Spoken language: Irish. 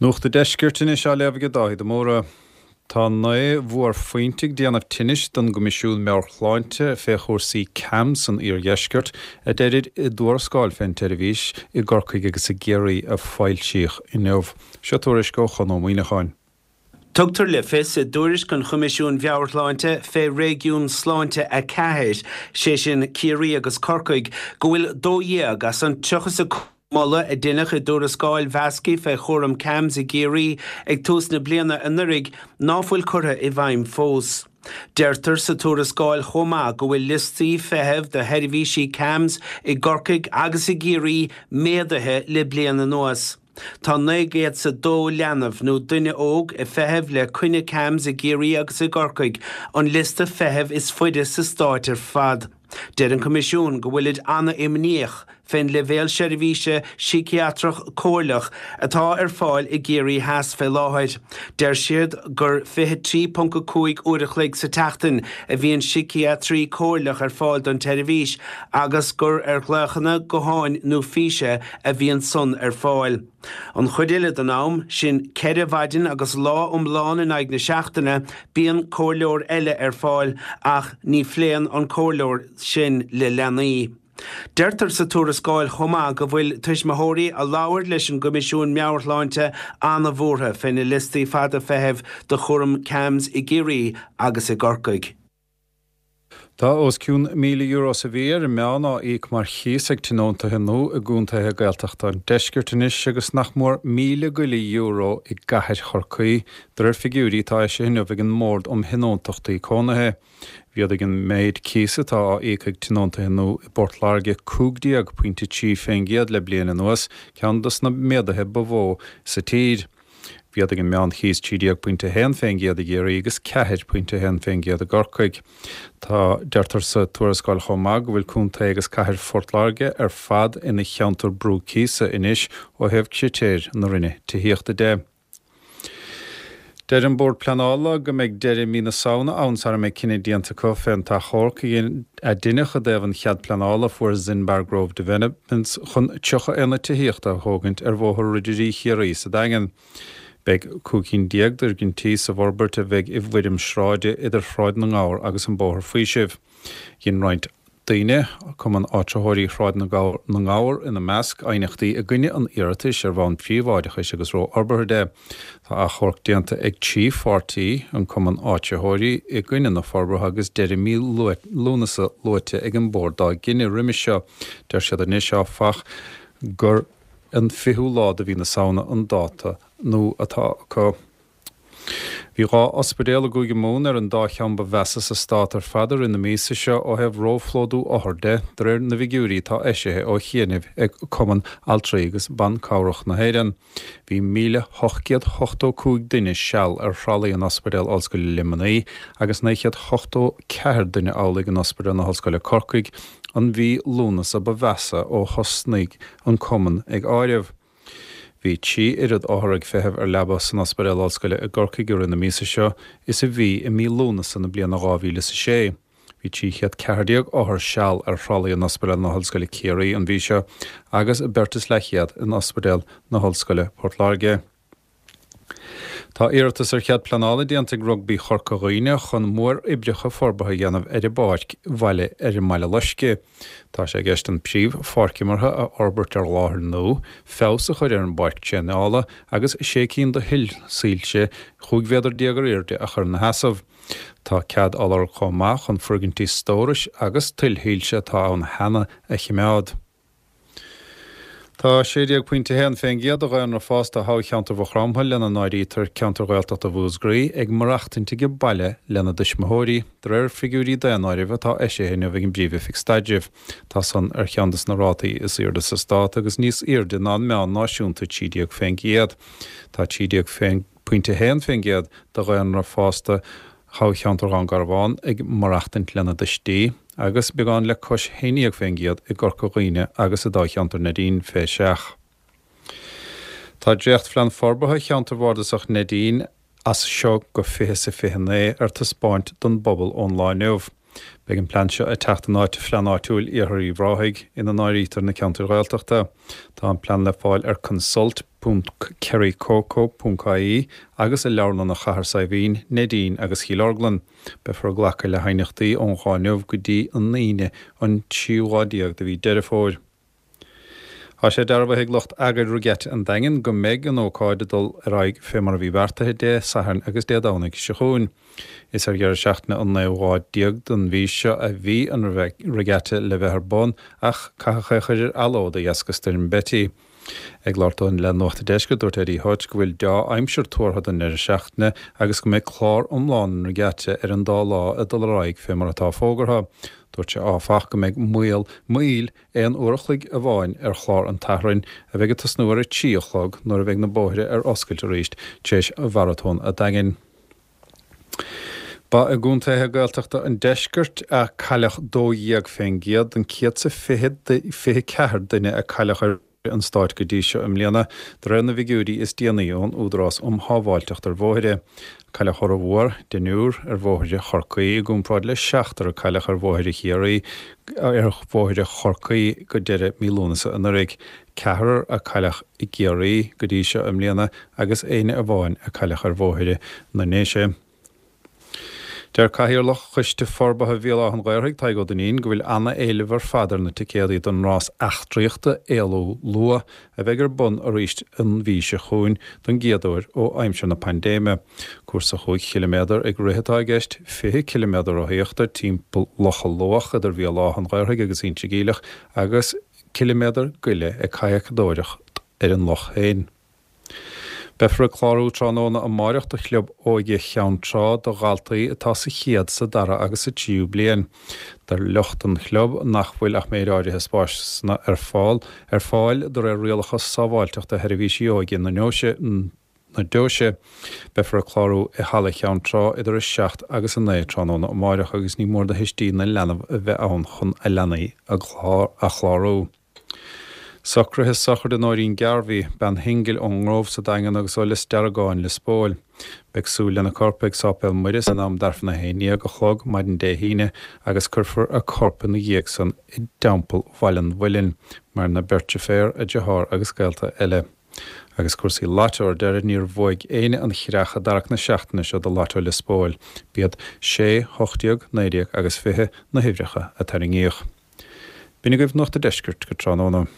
Nuacht an Deiscirt anois á léamh ag Dáithí de Mórdha. Tá 9 bhuarphointe ag déanamh tinnis don gCoimisiún Meabhair-Shláinte fé chúrsaí CAMHS san iardheisceart, a deirid i dtuarascáil fén tseirbhís i gCorcaigh agus i gCiarraí a foilsíodh inniu. Seo tuairisc ó Chon Ó Muíneacháin. Tugtar le fios i dtuairisc an Choimisiúin Mheabhair-Shláinte fé Réigiún Sláinte 4, sé sin Ciarraí agus Corcaigh, go bhfuil 12 as an 35 moladh a deineadh i dtuarascáil mheasctha fé chúram CAMHS i gCiarraí ag tús na bliana anuraidh ná fuil curtha i bhfeidhm fós. Deirtear sa tuarascáil chomh maith go bhfuil liostaí feithimh do sheirbhísí CAMHS i gCorcaigh agus i gCiarraí méadaithe le bliain anuas. Tá 900 's a 2 leanbh nó duine óg ag feitheamh le coinne CAMHS i gCiarraí agus i gCorcaigh, an liosta feithimh is faide sa stáit ar fad. Deir an Coimisiún go bhfuilid ana-imníoch fén leibhéal seirbhíse síciatrach comhairleach atá ar fáil i gCiarraí Theas fé láthair. Deir siad gur 23.5 uair a chloig sa tseachtain a bhíonn síciatraí comhairleach ar fáil don tseirbhís agus gur ar ghlaochanna gutháin nó físe a bhíonn san ar fáil. An chuid eile den am, sin 4 mhaidin agus lá iomlán in aghaidh na seachtaine, bíonn comhairleoir eile ar fáil ach ní phléann an comhairleoir sin le leanaí. Deirtear sa tuarascáil chomh maith go bhfuil tuismitheoirí a labhair leis an gCoimisiún Meabhair-Shláinte an-bhuartha fé na liostaí fada feithimh do chúram CAMHS i gCiarraí agus i gCorcaigh. Tá os cionn €1,000 sa mhí ar an meán á íoc mar chíos ag tionóntaithe nua i gcontaetha Gaeltachta an deiscirt anois agus nach mór míle go leith euro i gcathair Chorcaí, de réir figiúirí atá eisithe inniu ag an mBord um Thionóntachtaí Cónaithe. Mhéadaigh an méid cíosa atá á íoc ag tionóntaithe nua i bPort Láirge 15.3% le bliain anuas, ceann dos na méaduithe ba mhó sa tír. Mhéadaigh an meánchíos 13.1% i gCiarraí agus 4.1% i gCorcaigh. Tá, deirtear sa tuarascáil chomh maith go bhfuil contae agus cathair Phort Láirge ar fad ina cheantar brú cíosa anois ó thaobh critéir na Roinne Tithíochta de. Deir an Bord Pleanála go mbeidh deireadh mí na Samhna ann sara mbeidh cinneadh déanta acu fén t-achomharc a deineadh i dtaobh an chead pleanála a fuair Zinbar Grove Developments chun 30 aonad tithíochta a thógaint ar Bhóthar Ridirí Chiarraí sa Daingean. Beidh 15 cinn d'fhoirgintí sa bhforbairt a bheidh i bhfoirm sráide idir Shráid na nGabhar agus an Bóthar Faoisimh. Dhein roinnt daoine, Cumann Áitritheoirí Shráid na nGabhar ina measc, aighneachtaí i gcoinne an iarratais ar bhonn príobháideachais agus rófhorbartha de. Tá achomharc déanta ag 3 pháirtí, an Cumann Áitritheoirí, i gcoinne na forbartha agus deireadh mí Lúnasa luaite ag an Bord dá gcinneadh roimis seo. Deir siad anois, áfach, gur an 20ú lá de mhí na Samhna an dáta nua atá acu. Bhí 2 ospidéal i gCúige Mumhan ar an dá cheann ba mheasa sa stát ar fad i rith na míosa seo ó thaobh róphlódú othar de, de réir na bhfigiúirí atá eisithe ó chianaibh ag Cumann Altraí agus Ban Cabhrach na hÉireann. Bhí 1,885 duine seal ar thralaí in Ospidéal Ollscoile Luimnigh agus 984 duine amhlaidh in Ospidéal na hOllscoile Corcaigh, an mhí Lúnasa ba mheasa ó thosnaigh an cumann ag áireamh. Bhí 3 oiread othar ag feitheamh ar leaba san Ospidéal Ollscoile i gCorcaigh i rith na míosa seo is a bhí i mí Lúnasa na bliana 2006. Bhí 314 othar seal ar thralaí in Ospidéal na hOllscoile Ciarraí an mhí seo agus beirt is leathchéad in Ospidéal na hOllscoile Port Láirge. Tá iarratas ar chead pleanála déanta ag Rugbaí Chorca Dhuibhne chun móroibreacha forbartha a dhéanamh ar a bpáirc bhaile ar an mBaile Loiscthe. Tá sé i gceist an príomh-pháirc imeartha a fhorbairt ar láthair nua, feabhas a chur ar an bpáirc traenála agus sé cinn de thuillsoilse 15 mhéadar ar airde a chur ina sheasamh. Tá cead á lorg chomh maith chun foirgintí stórais agus tuillshoilse atá ann cheana a chimeád. Tá 16.1% de dhaonra fásta thoghcheantar Mhaigh Chromtha, lena n-áirítear ceantar Ghaeltachta Mhúscraí, ag maireachtaint ag baile lena dtuismitheoirí, de réir figiúirí daonáirimh atá eisithe inniu ag an bPríomh-Oifig Staidrimh. Tá san ar cheann de na rátaí is airde sa stát agus níos airde ná an meán náisiúnta 13%. Tá 13%. 0.1% de dhaonra fásta thoghcheantar Dhún Garbhán ag maireachtaint lena dtuistí, agus beagán le cois 11% i gCorca Dhuibhne agus i dtoghcheantar Neidín fé seach. Tá dréachtphlean forbartha cheantar bhardasach Neidín as seo go 20 's a 29 ar taispeáint don bpobal ón lá inniu. Beidh an plean seo ag teacht in áit Phlean Áitiúil Iarthar Uíbh Ráthaigh, ina n-áirítear na ceantair Ghaeltachta. Tá an plean le fáil ar consult ponc kerrycoco ponc ie agus i leabharlanna Chathair Saidhbhín, Neidín agus Chill Orglan. Beifear ag glacadh le haighneachtaí ón lá inniu go dtí an Aoine an tríú lá déag de mhí Deireadh Fómhair. Tá sé dearbhaithe ag lucht eagair Regatta an Daingin go mbeidh an ócáid ag dul ar aghaidh fé mar a bhí beartaithe Dé Sathairn agus Dé Domhnaigh seo chugainn. Is ar dheireadh seachtaine an naoú lá déag den mhí seo a bhí an Regatta le bheith ar bun ach caitheadh é a chur ar athló de dheasca Stoirm Betty. Ag labhairt dó le Nuacht an Deiscirt, dúirt Eddie Hutch go bhfuil deá-aimsir tuartha don ndeireadh seachtaine agus go mbeidh clár iomlán an Regatta ar an dá lá ag dul ar aghaidh fé mar atá fógartha. Dúirt sé áfach go mbeidh moill, moill aon uair a chloig amháin ar chlár an tSathairn, a bheidh ag tosnú ar a 3 a chlog nuair a bheidh na bóithre ar oscailt arís tar éis Mharatón a' Daingin. Ba i gcontaetha Gaeltachta an deiscirt a cailleadh 12% den 124 duine a cailleadh ar bhóithre an stáit go dtí seo i mbliana, de réir na bhfigiúirí is déanaí ón Údarás um Shábháilteacht ar Bhóithre. Cailleadh formhór, deichniúr, ar bhóithre Chorcaí i gcomparáid le seachtar a cailleadh ar bhóithre Chiarraí ar bhóithre Chorcaí go deireadh mí Lúnasa anuraidh. Ceathrar a cailleadh i gCiarraí go dtí seo i mbliana agus éinne amháin a cailleadh ar bhóithre na nDéise. Deir Cathaoirleach Choiste Forbartha Bhéal Átha an Ghaorthaidh, Tadhg Ó Duinnín, go bhfuil ana-éileamh ar fad ar na ticéadaí don rás eachtraíochta Éalú Luath a bheidh ar bun arís an mhí seo chugainn don gcéad uair ó aimsir na paindéime. Cúrsa chúig chiliméadar ag rith atá i gceist, 20 ciliméadar rothaíochta timpeall Locha Luach idir Bhéal Átha an Ghaorthaidh agus Inse Geimhleach agus ciliméadar go leith ag cadhacadóireacht ar an loch féin. Beifear ag clárú tráthnóna amáireach do Chlub Óige Cheann Trá do dhaltaí atá sa chéad, sa dara agus sa tríú bliain. Deir lucht an chlub nach bhfuil ach méid áirithe spásanna ar fáil ar fáil de réir rialacha sábháilteachta Sheirbhísí Óige na na Deoise. Beifear ag clárú i Halla Cheann Trá idir 7 agus 9 tráthnóna amáireach agus ní mór do thuistí na leanbh a bheith ann chun a leanaí a chlárú. Socruithe sochraide Nóirín Garvey, bean shingil ón nGrove sa Daingean agus ó Lios Deargáin, Lios Póil. Beidh súil lena corp ag Sáipéal Muire in am d'aifreann a haon dhéag a chlog maidin Dé hAoine agus cuirfear a corp ina dhiaidh san i dTeampall Bhaile an Mhuilinn, maireann a beirt deirféar, a deartháir agus gaolta eile. Agus cúrsaí Lotto ar deireadh, níor bhuaigh éinne an chreach i dtarrac na seachtaine seo do Lotto Lios Póil. B'iad 6, 18, 19 agus 20 na huimhreacha a tarraingíodh. B'in agaibh Nuacht a' Deiscirt go tráthnóna.